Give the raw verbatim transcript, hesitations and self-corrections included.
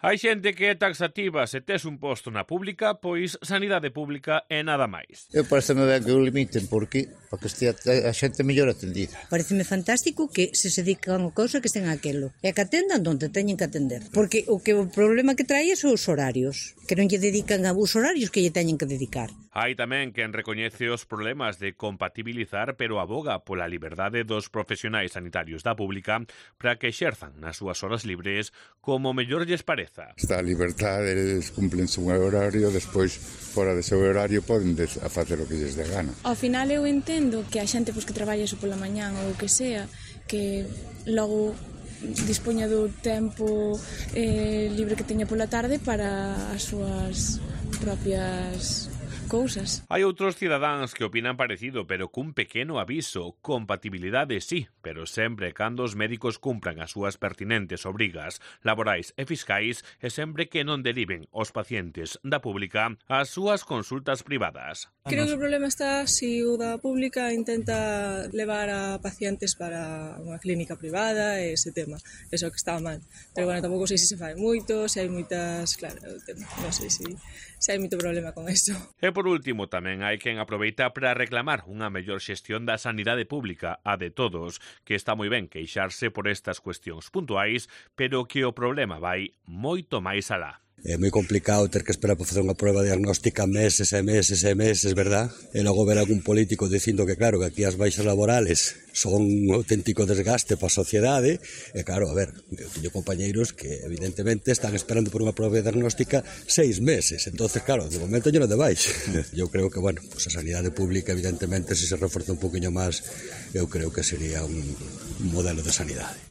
Hai xente que é taxativa se tes un posto na pública, pois sanidade pública é nada máis. Eu pareceme ben que o limiten, porque para que estea a xente mellor atendida. Pareceme fantástico que se se dedican a cousa que estén aquelo, e que atendan onde teñen que atender. Porque o que o problema que trae son os horarios, que non lle dedican a os horarios que lle teñen que dedicar. Hai tamén quen recoñece os problemas de compatibilizar, pero aboga pola liberdade dos profesionais sanitarios da pública para que exerzan nas súas horas libres como mellor lles pareza. Está a liberdade, eles cumplen un horario, despois fora dese horario poden a facer o que lles dé gana. Ao final eu entendo que a xente pois, que traballa iso pola mañán ou o que sea, que logo dispoña do tempo eh, libre que teña pola tarde para as súas propias cousas. Hai outros cidadáns que opinan parecido, pero cun pequeno aviso. Compatibilidade sí, pero sempre cando os médicos cumpran as súas pertinentes obrigas laborais e fiscais e sempre que non deriven os pacientes da pública ás súas consultas privadas. Creo que o problema está se o da pública intenta levar a pacientes para unha clínica privada e ese tema. Eso que está mal. Pero bueno, tampouco sei se se fai moito, se hai moitas... Claro, non sei se, se hai moito problema con eso. E por último, tamén hai quen aproveita para reclamar unha mellor xestión da sanidade pública, a de todos, que está moi ben queixarse por estas cuestións puntuais, pero que o problema vai moito máis alá. É moi complicado ter que esperar para facer unha prueba diagnóstica meses e meses e meses, verdad? E logo ver algún político dicindo que claro, que aquí as baixas laborales son un auténtico desgaste para a sociedade. E claro, a ver, eu teño compañeiros que evidentemente están esperando por unha prueba diagnóstica seis meses. Entonces, claro, de momento yo non de baix. Eu creo que, bueno, pues a sanidade pública evidentemente se se reforza un poquinho máis, eu creo que sería un modelo de sanidade.